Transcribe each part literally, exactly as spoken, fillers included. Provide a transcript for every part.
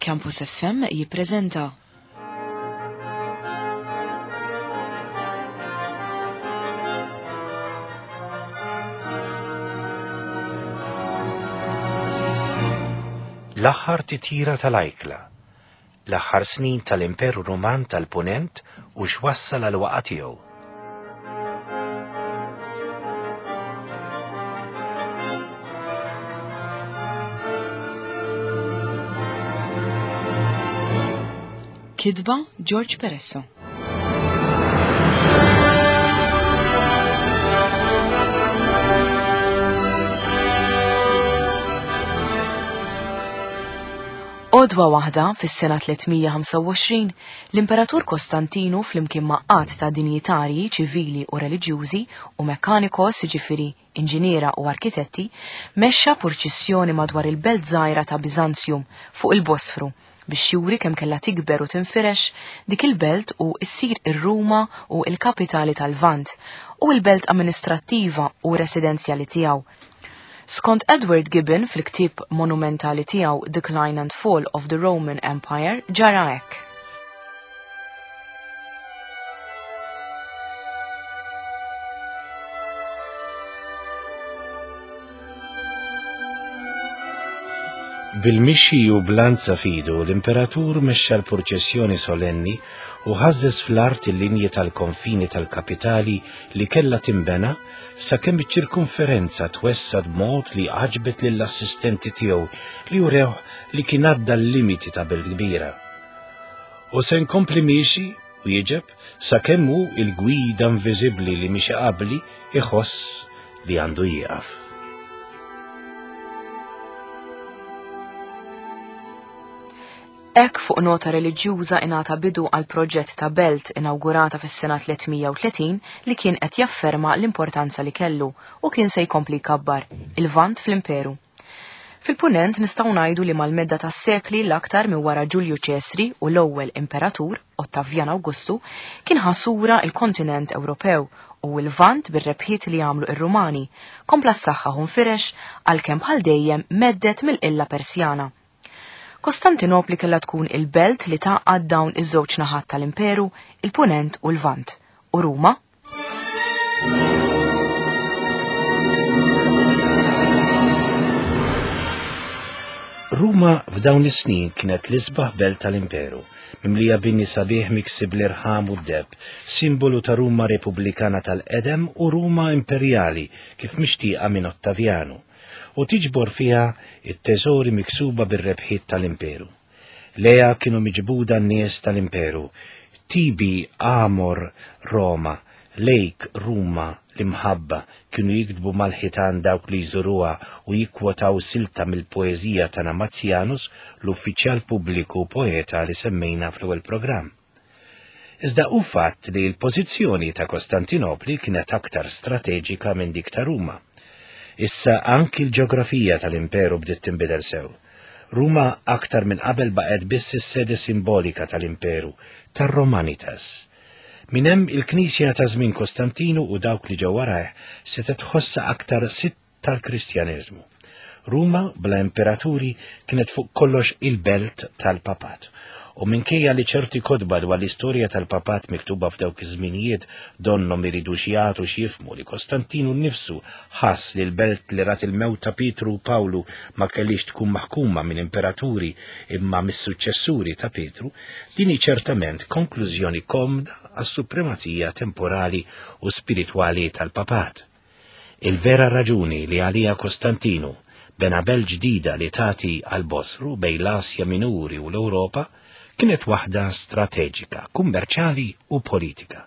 Campus F M jippreżenta L-aħħar titjira tal-ajkla, l-aħħar snin tal-Imperu Ruman tal-Punent u x'wassal għal waqgħa tiegħu. Kitba George Peresso. Għodwa waħda fis-sena tliet mija u ħamsa u għoxrin, l-Imperatur Kostantinu, flimkien ma' għadd ta' dinjitarji ċivili u reliġjużi u mekanikos, jiġifieri inġiniera u arkitetti, mexxa purċissjoni madwar il-belt żgħira ta' Bizanzjum fuq il-Bosfru biex juri kemm kellha tikber u tinfirex dik il-belt u issir ir-Ruma u il-kapitali tal-Lvant u l-belt amministrattiva u residenzjali tiegħu. Skont Edward Gibbon fil-ktieb monumentali tiegħu Decline and Fall of the Roman Empire, ġara hekk. Bil-mixi u b'lanza f'idu, l-imperatur mexxa l-purċessjoni solenni u ħażżeż fl-art il-linji tal-konfini tal-kapitali li kella timbena, sakemm iċ-ċirkonferenza twessgħet b'mod li għaġbet lill-assistenti tiegħu li urew li kien għadda l-limiti ta' belt kbira. "U se nkompli miexi", wieġeb, "sakemm hu, il-gwida inviżibbli li miexi qabli, iħoss li għandu jieqaf." Hekk, fuq nota reliġjuża, ingħata bidu għal proġett ta' belt inawgurata fis-sena tliet mija u tletin li kien qed jafferma l-importanza li kellu u kien se jkompli jkabbar il-Lvant fl-Imperu. Fil-punent nistgħu ngħidu li mal-medda tas-sekli, l-aktar minn wara Ġulju Ċesri u l-ewwel imperatur Ottavian Augustu, kien ħa sura il-kontinent Ewropew u l-Lvant bir-rebħiet li għamlu ir-Rumani, kompla s-saħħa nfirex, għalkemm bħal dejjem mhedded mill-qilla Persjana. Kostantinopli kella tkun il-belt li tgħaqqad dawn iż-żewġ naħat tal-imperu, il-Punent u l-Lvant. U Ruma? Ruma f'dawn is-snin kienet l-isbaħ belt tal-imperu, mimlija bini sabiħ miksi bl-irħam u d-deheb, simbolu ta' Ruma Repubblikana tal-qedem u Ruma Imperjali kif mixtieqa minn Ottavianu, u tiġbor fiha it-teżori miksuba bir-rebħiet tal-imperu. Lejha kienu miġbuda n-nies tal-imperu: "Tibi amor Roma, lejk Ruma l-imħabba", kienu jiktbu mal-ħitan dawk li jżuruha u jikkwotaw silta mill-poeżija ta' Namatianus, l-uffiċjal pubbliku poeta li semmejna fl-ewwel programm. Iżda hu fatt li l-pożizzjoni ta' Kostantinopli kienet aktar strateġika minn dik ta' Ruma. Issa anki l-ġeografija tal-imperu bdiet tinbidel sew. Ruma aktar minn qabel baqgħet biss is-sede simbolika tal-imperu, tar-Romanitas. Minn hemm il-Knisja ta' żmien Kostantinu u dawk li ġew warajh se tħossa aktar sitt tal-Kristjaneżmu. Ruma bla imperaturi kienet fuq kollox il-belt tal-papat. U minkejja li ċerti kotba dwar l-istorja tal-papat miktuba f'dawk iż-żminijiet donnom iridu jagħtu x'jifhmu li Kostantinu nnifsu ħass li l-belt li rat il-mewt ta' Pietru u Pawlu ma kellix tkun maħkuma minn imperaturi imma mis-suċċessuri ta' Pietru, din hi ċertament konklużjoni komda għas-supremazija temporali u spiritwali tal-papat. Il-vera raġuni li għalija Kostantinu bena belt ġdida li tagħti għal-Bosfru bejn l-Asja Minuri u l-Ewropa kienet waħda strateġika, kummerċali u politika.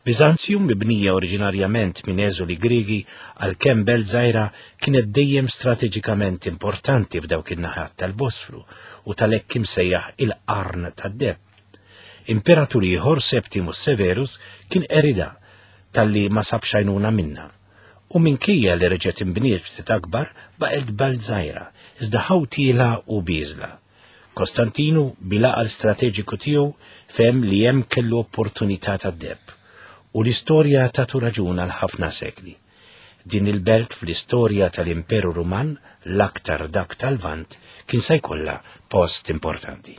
Bizanzjum, mibnija oriġinarjament minn eżuli Grigi, għalkemm belt żgħira, kienet dejjem strateġikament importanti f'dawk in-naħat tal-Bosfru u tal-hekk imsejjaħ il-Qarn tad-Deheb. Imperatur ieħor, Septimus Severus, kien qeridha talli ma sabx għajnuna minna. U minkejja li reġgħet imbniet ftit akbar, baqgħet belt żgħira, iżda ħawtiela u bieżla. Kostantinu, bil-għaqal strateġiku tiegħu, fehem li hemm kellu opportunità tad-deheb u l-istorja tatu raġun għal ħafna sekli. Din il-belt fl-istorja tal-Imperu Ruman, l-aktar dak tal-Lvant, kien se jkollha post importanti.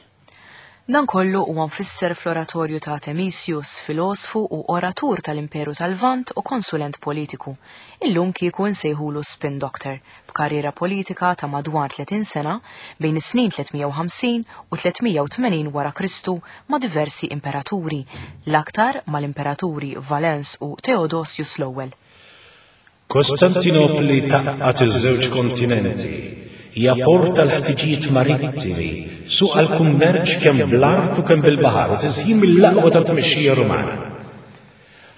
Dan kollu huwa mfisser fl-oratorju ta' Temisius, filosfu u oratur tal-Imperu tal-Lvant u konsulent politiku. Illum kieku nsejħulu spin doctor, b'karriera politika ta' madwar tletin sena bejn is-snin tliet mija u ħamsin u tliet mija u tmenin wara Kristu ma' diversi imperaturi, l-aktar mal-imperaturi Valens u Theodosius l-ewwel. Kostantinopli tgħaqqad iż-żewġ kontinenti, hija port tal-ħtiġijiet marittimi, suq għall-kummerċ kemm bl-art u kemm bil-baħar u tiżjin mill-aqwa tat-tmexxija Rumana.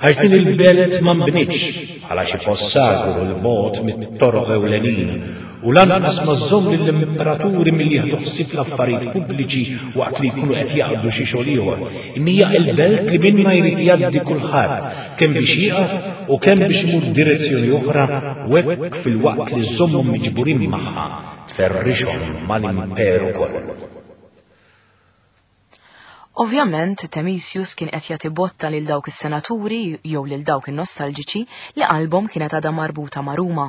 Għax din il-belt ma nbnietx bħala xi post sagru 'l bogħod mit-toroq ewlenin u lanqas ma żżomm lill-imperaturi milli jieħdu ħsieb l-affarijiet pubbliċi waqt li jkunu qed jaqdu xi xogħol ieħor. Imma hija l-belt li minnha jrid jgħaddi kulħadd, kemm biex jieqaf u kemm biex imur f'direzzjoni oħra, u hekk filwaqt li żżommhom miġburin magħha tferrixhom mal-imperu kollu. Ovvjament, Temisius kien qed jagħti botta lil dawk is-senaturi jew lil dawk in-nostalġiċi li qalbhom kienet għadha marbuta ma' Ruma,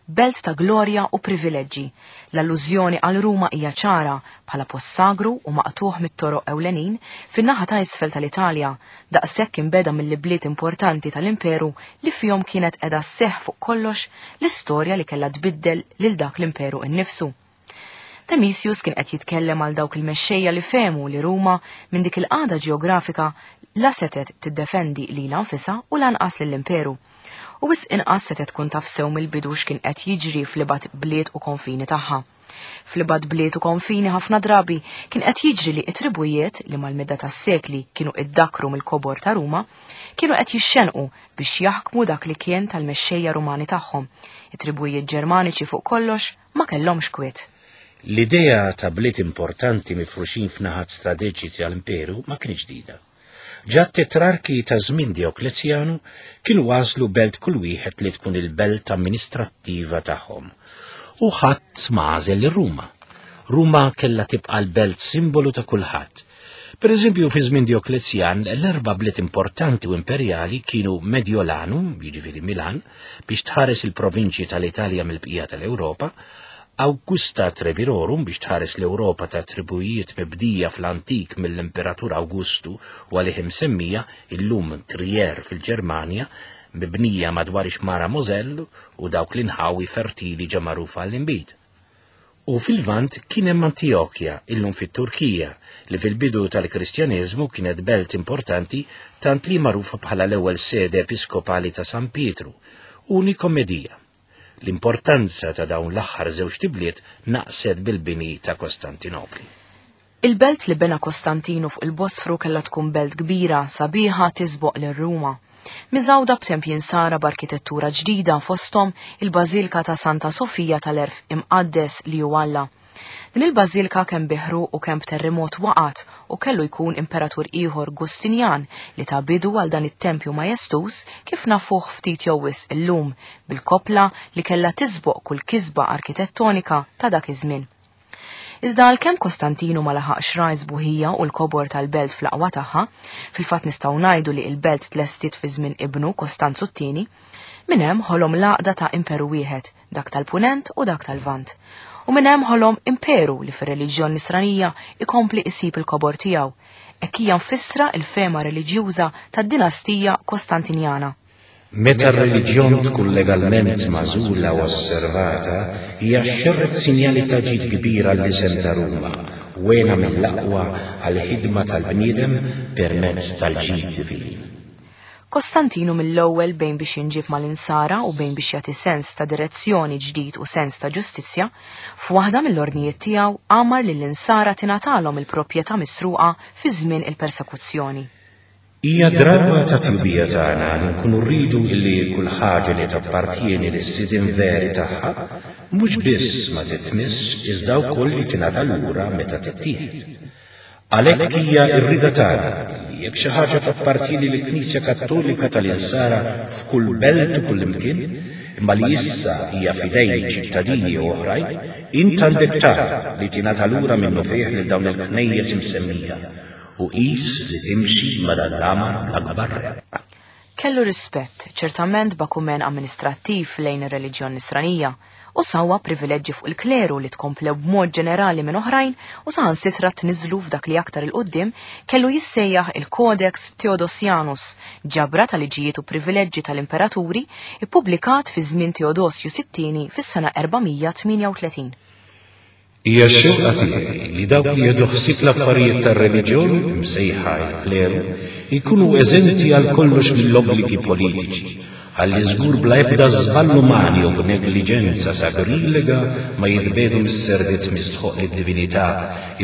belt ta' glorja u privileġġi. L-allużjoni għal Ruma hija ċara bħala post sagru u maqtuħ mit-toroq ewlenin fin-naħa ta' isfel tal-Italja, daqshekk imbeda mill-bliet importanti tal-imperu li fihom kienet qiegħda sseħħ fuq kollox l-istorja li kellha tbiddel lil dak l-imperu innifsu. Temisius kien qed jitkellem għal dawk il-mexxejja li fehmu li Ruma minn dik il-qagħda ġeografika la setet tiddefendi lilha nfisha u lanqas lill-imperu. U wisq inqas setet tkun taf sew mill-bidu x'kien qed jiġri fl-ibgħad bliet u konfini tagħha. Fl-ibgħad bliet u konfini ħafna drabi kien qed jiġri li t-tribujiet li mal-medda tas-sekli kienu iddakru mill-kobor ta' Ruma kienu qed jixxenqu biex jaħkmu dak li kien tal-mexxejja Rumani tagħhom. It-tribujiet Ġermaniċi fuq kollox ma kellhomx kwiet. L-idea ta' bliet importanti mifruxin f'naħat strateġiċi tal-imperu ma kienx ġdida. Ġa t-tetrarki ta' żmien Dioklezjanu kienu għażlu belt kull wieħed li tkun il-belt amministrattiva tagħhom. U ħadd ma għażel lil Ruma. Ruma kellha tibqa' l-belt simbolu ta' kulħadd. Per eżempju, fi żmien Dioklezjan, l-erba' bliet importanti u imperjali kienu Mediolanum, jiġifieri Milan, biex tħares il-provinċji tal-Italja mill-bqija tal-Ewropa, Augusta Trevirorum biex tħares l-Ewropa ta' tribujiet mibdija fl-antik mill-Imperatur Augustu u għalih imsemmija illum Trier fil-Ġermanja, mibnija madwar ix-xmara Moselle u dawk l-inħawi fertili ġa magħrufa għall-inbid. U fil-Lvant kien hemm Antiochja, illum fit-Turkija, li fil-bidu tal-Kristjaneżmu kienet belt importanti tant li magħrufa bħala l-ewwel sede episkopali ta' San Pietru, u Nikomedija. L-importanza ta' dawn l-aħħar żewġ tibliet naqset bil-bini ta' Kostantinopli. Il-belt li bena Kostantinu fuq il-Bosfru kellha tkun belt kbira, sabiħa tisboq lil Ruma. Miżgħuda b'tempji nsara b'arkitettura ġdida fosthom il-Bażilka ta' Santa Sofija tal-Erf Imqaddes li hu Alla. Din il-bażilka kemm biħru u kemm b'terremot waqgħet u kellu jkun imperatur ieħor Gustinjan li ta' bidu għal dan it-tempju majestuż kif nafuh ftit jew wisq illum bil-kopla li kellha tisboq kull kisba arkitettonika ta' dak iż-żmien. Iżda għalkemm Kostantinu ma laħaqx ra s-sbuħija u l-kobor tal-belt fl-aqwa tagħha, fil-fatt nistgħu ngħidu li l-belt tlestiet fi żmien ibnu Kostanzu t-tieni, minn hemm ħolom l-għaqda ta' imperu wieħed, dak tal-Punent u dak tal-Lvant. U minn hemm ħolom imperu li fir-reliġjon nisranija ikompli isib il-kobor tiegħu, hekk hija mfissra l-fema reliġjuża tad-dinastija Kostantinjana. Meta r-reliġjon tkun legalment magħżula u osservata, hija xerret sinjali ta' ġid kbir għall-isem ta' Ruma, u għena mill-aqwa għall-ħidma tal-bniedem permezz tal-ġid divin. Kostantinu mill-ewwel bejn biex jinġib mal-insara u bejn biex jagħti sens ta' direzzjoni ġdid u sens ta' ġustizzja, f'waħda mill-ordnijiet tiegħu amar lill-insara tingħatalhom il-proprjetà misruqa fi żmien il-persekuzzjoni. Hija drawwa ta' tjubija tagħna li nkunu rridu illi kull ħaġa li tappartieni lis-sidien veri tagħha mhux biss ma titmiss iżda wkoll li tingħata lura meta tittieħed. Għalhekk hija r-rida tagħna li jekk xi ħaġa tappartieni lill-Knisja Kattolika tal-Insara f'kull belt u kull imkien, imma li issa hija f'idejn ċittadini jew oħrajn, int għandek tara li tingħata lura minnufih lil dawn il-knejjes imsemmija u qis li timxi ma' dan l-amar bl-akbar reqqa. Kellu rispett, ċertament b'akumen amministrattiv lejn ir-reliġjon nisranija, u sawwa privileġġi fuq il-kleru li tkomplew b'mod ġenerali minn oħrajn u saħansitra tniżlu f'dak li aktar il-qudiem kellu jissejjaħ il-Codex Theodosianus, ġabra ta' liġijiet u privileġġi tal-imperaturi ippubblikat fi żmien Teodosju sittini fis-sena erba' mija tmienja u tletin. Hija x-xewqa tiegħi li dawk li jieħdu ħsieb l-affarijiet tar-reliġjon, imsejħa il-kleru, jkunu eżenti għal kollox mill-obbligi politiċi, ħalli żgur bla ebda żball umani u b'negliġenza sagrilega ma jitbiegħdu mis-servizz mistħoq lid-divinità,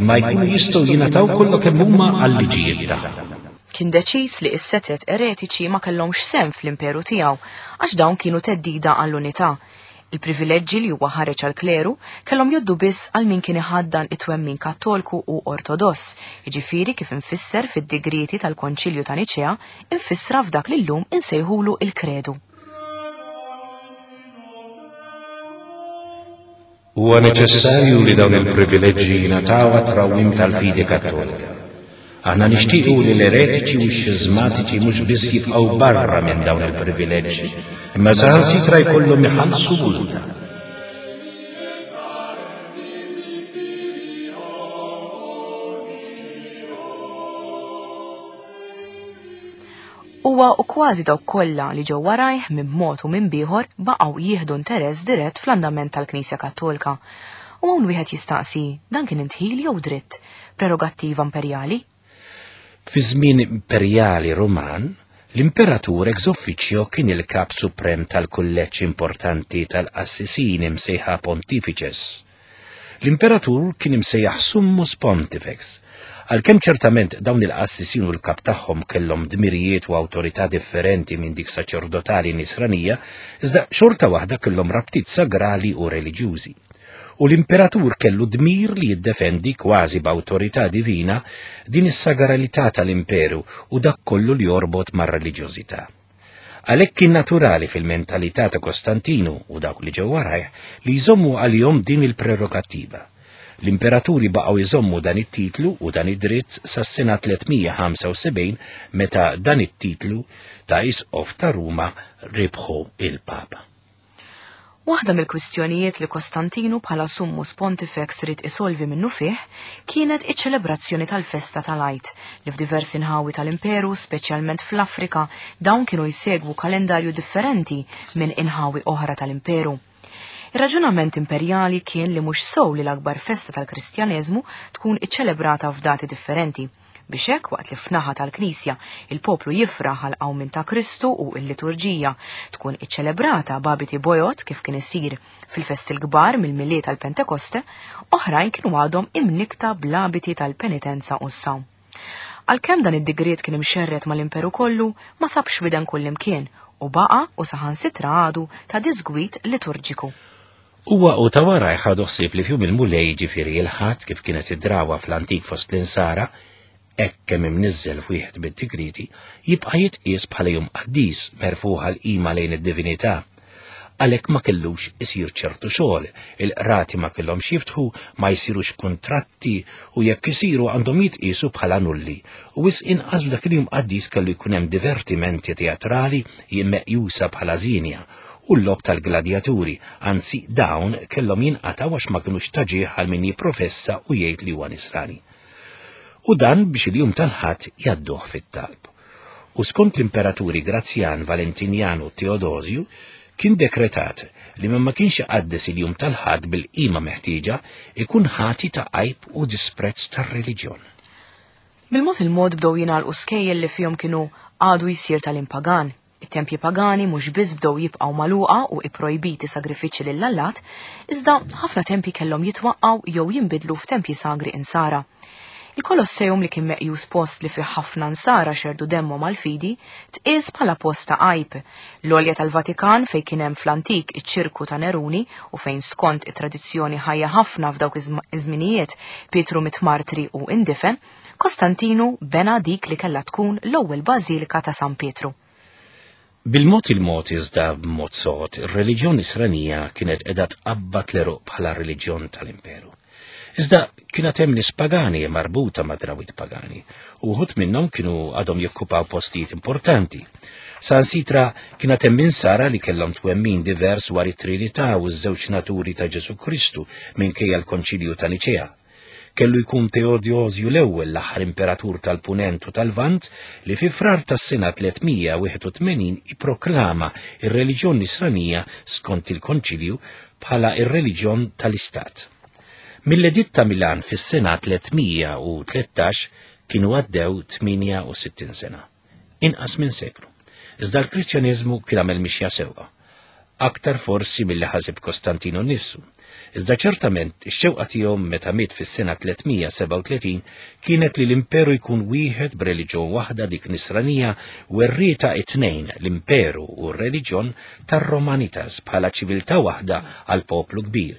imma jkunu jistgħu jingħataw kollha kemm huma għal-liġijiet tagħhom. Kien deċiż li s-setet eretiċi ma kellhomx sehem fl-imperu tiegħu għax dawn kienu theddida għall-unità. Il-privileġġi li huwa ħareġ għal kleru kellhom jgħoddu biss għal min kien iħaddan it-twemmin Kattolku u Ortodoss, jiġifieri kif infisser fid-digrieti tal-Konċilju ta' Niċea, infissra f'dak li llum insejħulu il-kredu. Huwa neċessarju li dawn il-privileġġi jingħataw għat-trawwim tal-fidi Kattolika. Aħna nixtiequ li l-eretiċi u x-xiżmatiċi mhux biss jibqgħu barra minn dawn il-privileġġi, imma saħansitra jkollhom iħallsu multa. Huwa u kważi dawk kollha li ġew warajh minn mod u minn bieħor baqgħu jieħdu interess dirett fl-andament tal-Knisja Kattolika. U hawn wieħed jistaqsi, dan kien indħil jew dritt, prerogattiva imperjali? Fi żmien imperjali Ruman, l-imperatur ex officio kien il-kap suprem tal-kulleġġ importanti tal-qassisin imsejħa pontifices. L-imperatur kien imsejjaħ summus pontifex. Għalkemm ċertament dawn il-qassisin u l-kap tagħhom kellhom dmirijiet u awtorità differenti minn dik saċerdotali nisranija, iżda xorta waħda kellhom rabtiet sagrali u reliġjużi. U l-imperatur kellu dmir li jiddefendi kważi b'awtorità divina din is-sagralità tal-imperu u dak kollu li jorbot mar-reliġjożità. Għalhekk kien naturali fil-mentalità ta' Kostantinu u dawk li ġew warajh li jżommu għalihom din il-prerogattiva. L-imperaturi baqgħu jżommu dan it-titlu u dan id-dritt sas-sena tliet mija ħamsa u sebgħin, meta dan it-titlu ta' isqof ta' Ruma rebħu il-Papa. Waħda mill-kwistjonijiet li Kostantinu bħala summus pontifex ried isolvi minnufih kienet iċ-ċelebrazzjoni tal-festa tal-Għid li f'diversi nħawi tal-imperu, speċjalment fl-Afrika, dawn kienu jsegwu kalendarju differenti minn inħawi oħra tal-imperu. Ir-raġunament imperjali kien li mhux sew li l-akbar festa tal-Kristjaneżmu tkun iċċelebrata f'dati differenti, biex hekk waqt li f'naħa tal-Knisja il-poplu jifraħ għal qawmien ta' Kristu u l-liturġija tkun iċċelebrata b'abiti bojod kif kien isir fil-festi l-kbar mill-Milied tal-Pentekoste, oħrajn kienu għadhom imnikta bl-abiti tal-penitenza u s-sawm. Għalkemm dan id-digriet kien imxerred mal-imperu kollu, ma sabx widen kullimkien u baqa u saħansitra għadu ta' disgwit liturġiku. Huwa u ta' warajh ħadu ħsieb li f'jum il-Mulej, ġifieri il-Ħadd kif kienet id-drawa fl-antik fost l-insara, hekk kemm imniżżel wieħed bid-digriti, jibqa' jitqies bħala jum qaddis merfuħ għal qima lejn id-divinità. Għalhekk ma kellux isir ċertu xogħol, il-qrati ma kellhomx jiftħu, ma jsirux kuntratti u jekk isiru għandhom jitqiesu bħala nulli. U wisq inqas f'dak il-jum qaddis kellu jkun hemm divertimenti teatrali meqjusa bħala żienja u l-logħob tal-gladjaturi, anzi dawn kellhom jinqataw għax ma kinux ta' ġieħ għal min jipprofessa u jgħid li huwa nisrani. U dan biex il-jum tal-Ħadd jgħadduh fit-talb. U skont l-imperaturi Grazzjan, Valentinjan u Teodosju, kien dekretat li min ma kienx iqaddes il-jum tal-Ħadd bil-qima meħtieġa ikun ħati ta' għajb u disprezz tar-reliġjon. Bil-mod il-mod bdew jingħalqu skejjel li fihom kienu għadu jsir tagħlim pagan. It-tempji pagani mhux biss bdew jibqgħu magħluqa u ipprojbiti sagrifiċċji lill-allat, iżda ħafna tempji kellhom jitwaqqgħu jew jinbidlu f'tempji sagri insara. Il-Kolosseum, li kien meqjus post li fih ħafna nsara xerdu demmhom għal-fidi, tqies bħala post ta' għajb. L-għolja tal-Vatikan, fejn kien hemm fl-antik iċ-ċirku ta' Neruni u fejn skont it-tradizzjoni ħajja ħafna f'dawk iż-żminijiet Pietru miet martri u indifen, Kostantinu bena dik li kellha tkun l-ewwel bażilika ta' San Pietru. Bil-mod il-mod iżda b'mod sod, ir-reliġjon nisranija kienet qiegħda tqabbad l bħala reliġjon tal-imperu. Iżda kienet hemm nies pagani marbuta ma' drawwiet pagani, u wħud minnhom kienu għadhom jokkupaw postijiet importanti. Sansitra kienet hemm insara li kellhom twemmin divers dwar it-Trinità u ż-żewġ naturi ta' Ġesù Kristu minkejja l-Konċilju ta' Niċea. Kellu jkun Teodosju l-ewwel, l-aħħar imperatur tal-Punent u tal-Lvant, li fi Frar tas-sena tliet mija wieħed u tmenin ipproklama ir-reliġjon nisranija skont il-Konċilju bħala ir-reliġjon tal-Istat. Mill-Editt ta' Milan fis-sena tliet mija u tlettax kienu għaddew tmienja u sittin sena. Inqas minn seklu. Iżda l-Kristjaniżmu kien għamel mixja sewwa. Aktar forsi milli ħaseb Kostantino nnifsu. Iżda ċertament ix-xewqa tiegħu meta miet fis-sena tliet mija sebgħa u tletin kienet li l-imperu jkun wieħed b'reliġjon waħda, dik nisranija, werrieta it-tnejn, l-imperu u r-reliġjon tar-Romanitas, bħala ċiviltà waħda għal poplu kbir.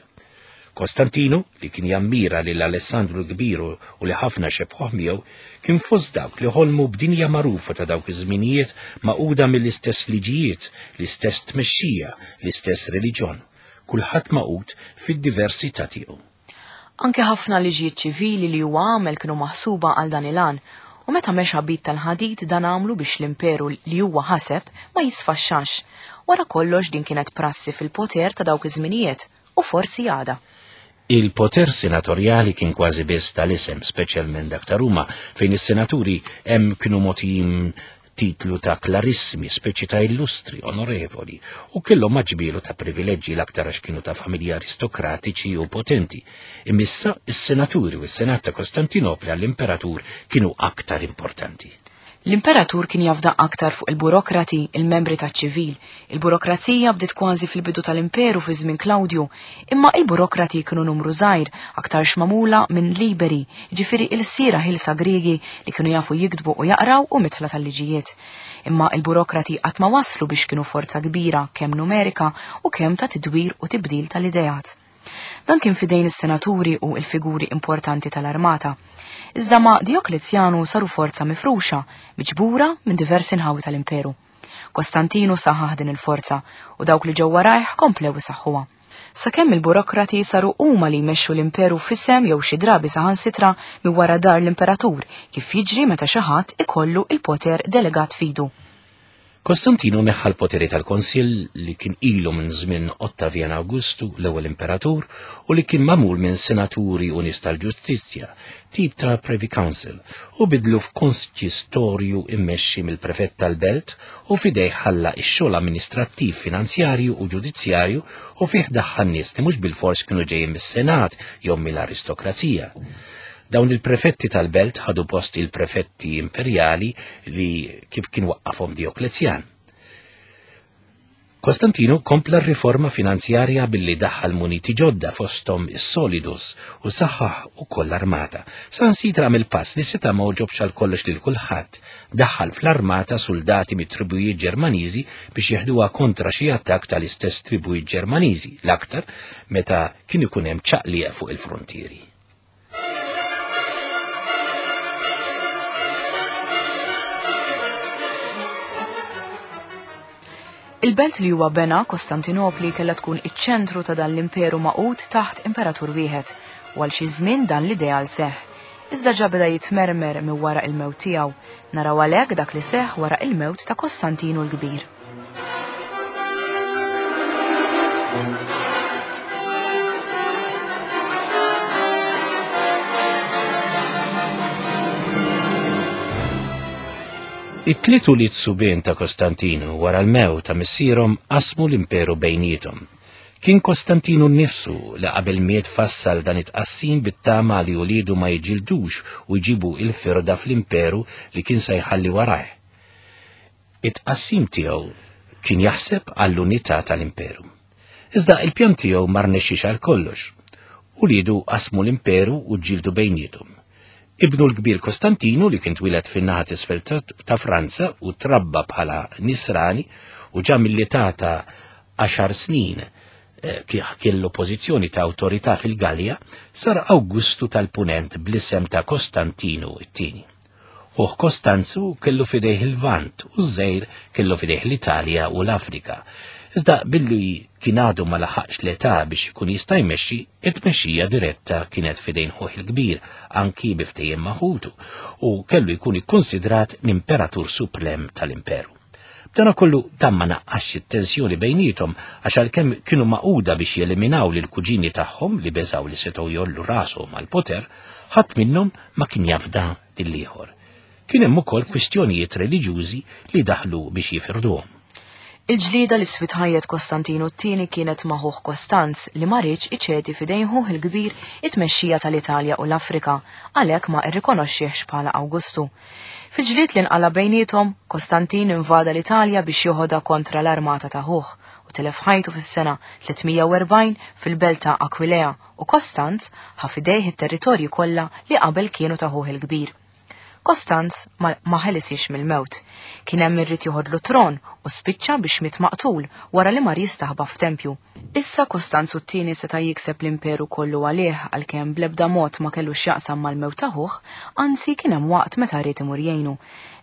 Kostantinu, li kien jammira lil Alessandru l-Kbir u li ħafna xebħuh miegħu, kien fost dawk li ħolmu b'dinja magħrufa ta' dawk iż-żminijiet magħquda mill-istess liġijiet, l-istess tmexxija, l-istess reliġjon. Kulħadd magħqud fid-diversità tiegħu. Anke ħafna liġijiet ċivili li huwa għamel kienu maħsuba għal dan il-għan, u meta mexa b'id tal-ħadid dan għamlu biex l-imperu li huwa ħaseb ma jisfaxxax. Wara kollox din kienet prassi fil-poter ta' dawk iż-żminijiet u forsi għada. Il-poter senatorjali kien kważi biss tal-isem, speċjalment dak ta' Ruma, fejn is-senaturi hemm kienu mogħtijin titlu ta' clarissimi, speċi ta' illustri, onorevoli, u kellhom maġbilu ta' privileġġi, l-aktar għax kienu ta' familji aristokratiċi u potenti. Imma is-senaturi u s-senat ta' Kostantinopli għall-imperatur kienu aktar importanti. L-imperatur kien jafda aktar fuq il-burokrati, il-membri taċ-ċivil. Il-burokrazija bdiet kważi fil-bidu tal-imperu fi żmien Klawdju, imma il-burokrati kienu numru żgħir, aktar magħmula minn liberi, ġifieri ilsiera ħielsa Griegi li kienu jafu jiktbu u jaqraw u midħla tal-liġijiet. Imma il-burokrati qatt ma waslu biex kienu forza kbira kemm numerika u kemm ta' tidwir u tibdil tal-ideat. Dan kien fidejn is-senaturi u il-figuri importanti tal-armata. Iżda ma' Dioklezjanu saru forza mifruxa, miġbura minn diversi nħawi tal-imperu. Kostantinu saħaħ din il-forza u dawk li ġew warajh komplew isaħħuha. Sakemm il-burokrati saru huma li jmexxu l-imperu f'isem jew xi drabi saħansitra minn wara dar l-imperatur, kif jiġri meta xi ħadd ikollu il-poter delegat f'idu. Kostantinu neħħa l-poteri tal-Konsil li kien ilu minn żmien Ottavian Augustu, l-ewwel imperatur, u li kien magħmul minn senaturi u nies tal-ġustizzja, tip ta' Privy Council, u bidlu f'konsistorju immexxi mill-prefett tal-belt u f'idejh ħalla x-xogħol amministrattiv, finanzjarju u ġudizzjarju, u fih daħħal nies li mhux bilfors kienu ġejjin mis-Senat jew mill-aristokrazija. Dawn il-prefetti tal-belt ħadu post il-prefetti imperjali li kif kien waqqafhom Dioklezjan. Kostantinu kompla r-riforma finanzjarja billi daħħal muniti ġodda, fosthom is-solidus, u saħħaħ ukoll l-armata. Saħansitra għamel pass li seta' ma għoġobx għal kollox lil kulħadd. Daħħal fl-armata soldati mit-tribujiet Ġermaniżi biex jeħduha kontra xi attakk tal-istess tribujiet Ġermaniżi, l-aktar meta kien ikun hemm ċaqliq fuq il-frontieri. Il-belt li huwa bena, Kostantinopli, kellha tkun iċ-ċentru ta' dan l-imperu magħqud taħt imperatur wieħed, u għal xi żmien dan l-ideal seħ. Iżda ġa beda jitmermer minn wara il-mewt tiegħu. Naraw għalhekk dak li seħ wara il-mewt ta' Kostantinu l-Kbir. It-tliet ulied subien ta' Kostantinu wara l-mewt ta' missierhom qasmu l-imperu bejniethom. Kien Kostantinu nnifsu li qabel miet fassal dan it-tqassim bit-tama li uliedu ma jiġġieldux u jġibu il-firda fl-imperu li kien se jħalli warajh. It-tqassim tiegħu kien jaħseb għall-unità tal-imperu. Iżda il-pjan tiegħu ma rnexxiex għal kollox. Uliedu qasmu l-imperu u ġġieldu bejniethom. Ibnu l-kbir Kostantinu, li kien twieled fin-naħa t'isfel ta' Franza u trabba bħala nisrani u ġa mill-età ta' għaxar snin eh, kellu pożizzjoni ta' awtorità fil-Galja, sar Awgustu tal-Punent bl-isem ta' Kostantinu it-tieni. Ħuh Kostanzu kellu fidejh il-Lvant u ż-żgħir kellu fidejh l-Italja u l-Afrika. Iżda billi kien għadu ma laħaqx l-età biex ikun jista' jmexxi, it-tmexxija diretta kienet f'idejn ħuh il-kbir, anki bi ftehim ma' ħutu, u kellu jkun ikkonsidrat l-imperatur suprem tal-imperu. B'dana kollu dan ma naqqasx it-tensjoni bejniethom għax għalkemm kienu maquda biex jeliminaw lil kuġini tagħhom li beżgħu li setgħu jollu rashom għall-poter, ħadd minnhom ma kien jafda lill-ieħor. Kien hemm ukoll kwistjonijiet reliġjużi li daħlu biex jifirduhom. Il-ġlieda li sfit ħajjet Kostantinu t-tieni kienet ma' ħuh Kostanz li ma riedx iċedi f'idejn ħuh il-kbir it-tmexxija tal-Italja u l-Afrika, għalhekk ma rrikonoxxihx bħala Awgustu. Fil-ġlied li nqala bejniethom, Kostantin invada l-Italja biex joħodha kontra l-armata ta' ħuh u telef ħajtu fis-sena tliet mija u erbgħin fil-belt ta' Aquilea u Kostanz ħa f'idejh it-territorji kollha li qabel kienu ta' ħuh il-kbir. Kostanz ma, ma ħelisiex mill-mewt. Kien hemm irrid joħodlu tron u spiċċa biex miet maqtul wara li mar jistaħba f'tempju. Issa Kostanzu t-tieni seta' jikseb l-imperu kollu għalih għalkemm bl-ebda mod ma kellu x'jaqsam mal-mewt ta' ħuh, anzi kien hemm waqt meta ried imur jgħinu.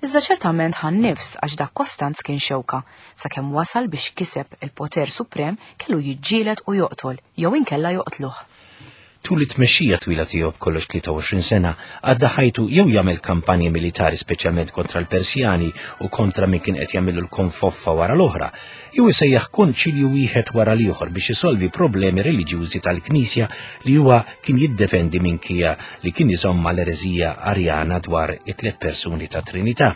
Iżda ċertament ħa nnifs għax dak Kostanz kien xewka, sakemm wasal biex kiseb il-poter suprem kellu jiġġieled u joqtol jew inkella joqtluh. Tul it-tmexxija twila tiegħu b'kollox tlieta u għoxrin sena għadda ħajtu jew jagħmel kampanji militari speċjalment kontra l-Persjani u kontra min kien qed jagħmillu l-konfoffa wara l-oħra, jew isejjaħ konċilju wieħed wara l-ieħor biex isolvi problemi reliġjużi tal-Knisja li huwa kien jiddefendi minkejja li kien iżomm mal-ereżija Arjana dwar it-tliet persuni ta' Trinità.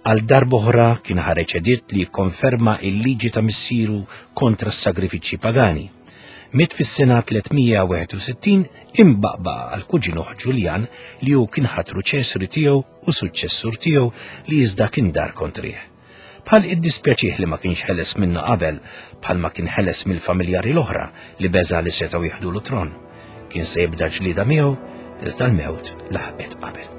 Għal darb'oħra kien ħareġ editt li jikkonferma il-liġi ta' missieru kontra s-sagrifiċċji pagani. Miet fis-sena tliet mija u wieħed u sittin imbaqbaqa għal kuġinuh Ġuljan li hu kien ħatru ċesri tiegħu u suċċessur tiegħu li iżda kien dar kontrih. Bħal iddispjaċih li ma kienx ħeles minnu qabel, bħal ma kien ħeles mill-familjari l-oħra li beża li setgħu jieħdulu tron. Kien se jibda ġlieda miegħu, iżda l-mewt laħqet qabel.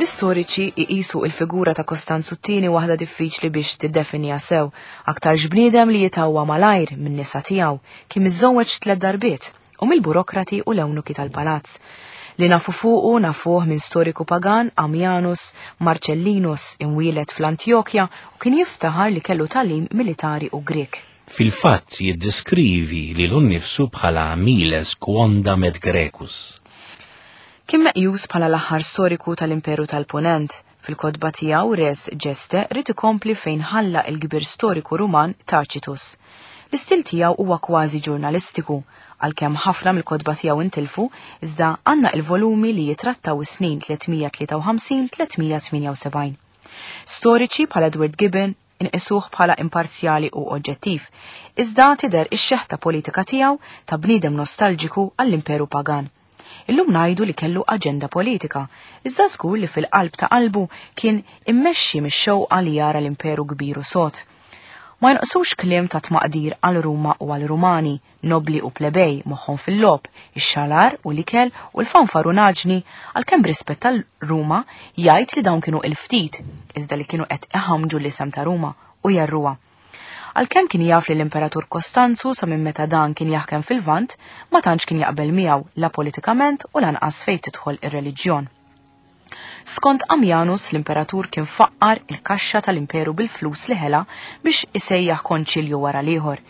L-istoriċi iqisu il-figura ta' Kostanzu t-tieni waħda diffiċli biex tiddefinija sew, aktar bniedem li jitawwa malajr minn nisa tiegħu, kien miżżewweġ tliet darbiet u mill-burokrati u l-ewnuki tal-palazz. Li nafu fuqu nafuh minn storiku pagan Ammianus Marcellinus imwielet fl-Antjokja u kien jiftaħar li kellu talim militari u Grek. Fil-fatt jiddeskrivi lilu nnifsu bħala Miles quondam et Grecus. Kien meqjus bħala l-aħħar storiku tal-Imperu tal-Punent. Fil-kotba tiegħu Res Gestae ried ikompli fejn ħalla il-kbir storiku Ruman Tacitus. L-istil tiegħu huwa kważi ġurnalistiku, għalkemm ħafna mill-kotba tiegħu intilfu, iżda għandna il-volumi li jitrattaw is-snin tliet mija tlieta u ħamsin tliet mija tmienja u sebgħin. Storiċi bħala Edward Gibbon inqisuh bħala imparzjali u oġġettiv, iżda tidher ix-xeħta politika tiegħu ta' bniedem nostalġiku għall-Imperu Pagan. Illum ngħidu li kellu aġenda politika, iżda żgur li fil-qalb ta' qalbu kien immexxi mix-xewqa li jara l-imperu kbir u sod. Ma jonqsux kliem ta' tmaqdir għal Ruma u għal Rumani, nobli u plebej moħħhom fil-logħob, ix-xalar u l-ikel u l-fanfarunaġni, għalkemm b'rispett tal Ruma jgħid li dawn kienu il-ftit, iżda li kienu qed iħammġu l-isem ta' Ruma u jarruha. Għalkemm kien jaf li l-Imperatur Kostanzu sa minn meta dan kien jaħkem fil-Lvant, ma tantx kien jaqbel miegħu la politikament u lanqas fejn tidħol ir-reliġjon. Skont Ammianus, l-Imperatur kien faqqar il-kaxxa tal-imperu bil-flus li ħela biex isejjaħ konċilju wara l-ieħor.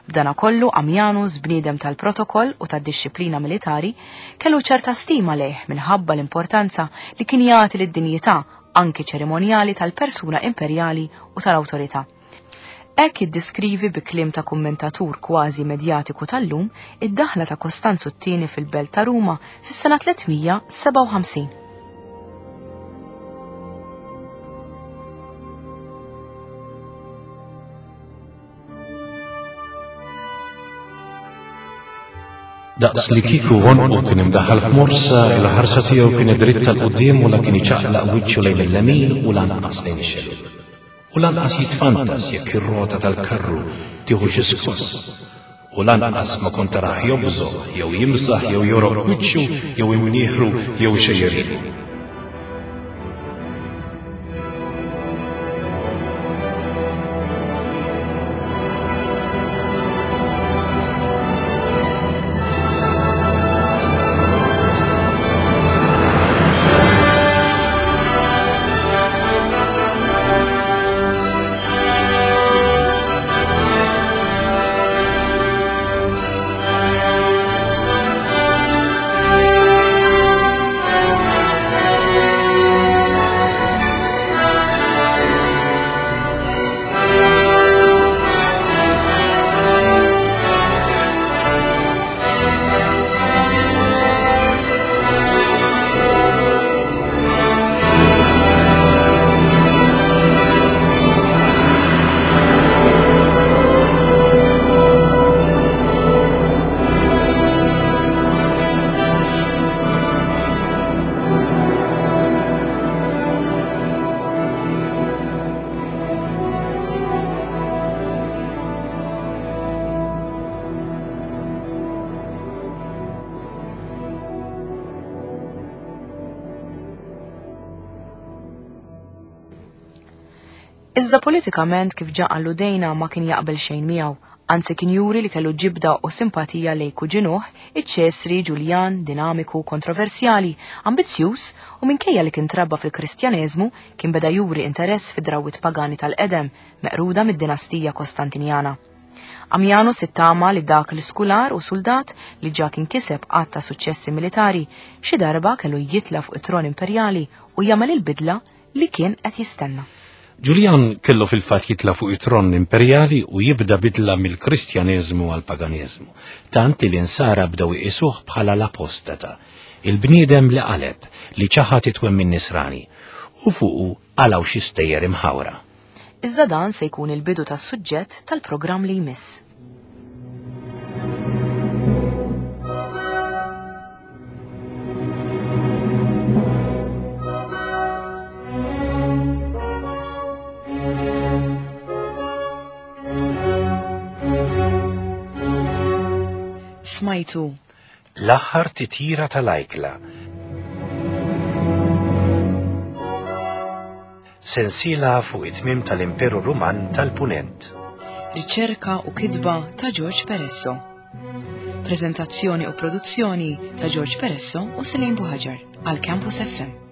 B'dana kollu Ammianus, bniedem tal-protokoll u tad-dixxiplina militari, kellu ċerta stima lejh minħabba l-importanza li kien jagħti lid-dinjità anki ċerimonjali tal-persuna imperjali u tal-awtorità. Hekk jiddeskrivi bi kliem ta' kummentatur kważi medjatiku tal-lum id-daħla ta' Kostanzu t-tieni fil-belt ta' Ruma fis-sena tliet mija sebgħa u ħamsin. Daqs li kieku għonqu kien imdaħħal f'morsa, il-ħarsa tiegħu kienet dritta 'l quddiem u la kien iċaqlaq wiċċu lejn il-lemin u lanqas lejn ix-xellug. U lanqas jitfantas jekk ir-rota tal-karru tieħu xi skoss. U lanqas ma kont tarah jobżoq jew jimsaħ jew jogħrok wiċċu jew imnieħru jew ixejjer ilu. Iżda politikament kif ġa alludejna ma kien jaqbel xejn miegħu, anzi kien juri li kellu ġibda u simpatija lejn kuġinuh, iċ-Ċesri Ġuljan, dinamiku, kontroversjali, ambizzjuż u minkejja li kien trabba fil-Kristjaneżmu kien beda juri interess fid-drawwiet pagani tal-qedem meqruda mid-dinastija Kostantinjana. Ammianus ittama li dak l-iskular u soldat li ġa kien kiseb għadd ta' suċċessi militari xi darba kellu jitla fuq it-tron imperjali u jagħmel il-bidla li kien qed jistenna. Ġuljan kellu fil-fatt jitla fuq it-tron imperjali u jibda bidla mill-Kristjaneżmu għall-paganiżmu, tant li l-insara bdew iqisuh bħala l-apostata, il-bniedem li qaleb li ċaħad it-twemmin nisrani u fuqu qalgħu xi stejjer imħawra. Iżda dan se jkun il-bidu tas-suġġett tal-programm li jmiss. Smajtu L-aħħar titjira tal-ajkla. Sensiela fuq it-tmiem tal-Imperu Ruman tal-Punent. Riċerka u kitba ta' George Peresso. Prezentazzjoni u produzzjoni ta' George Peresso u Selene Buhaġar għal Campus F M.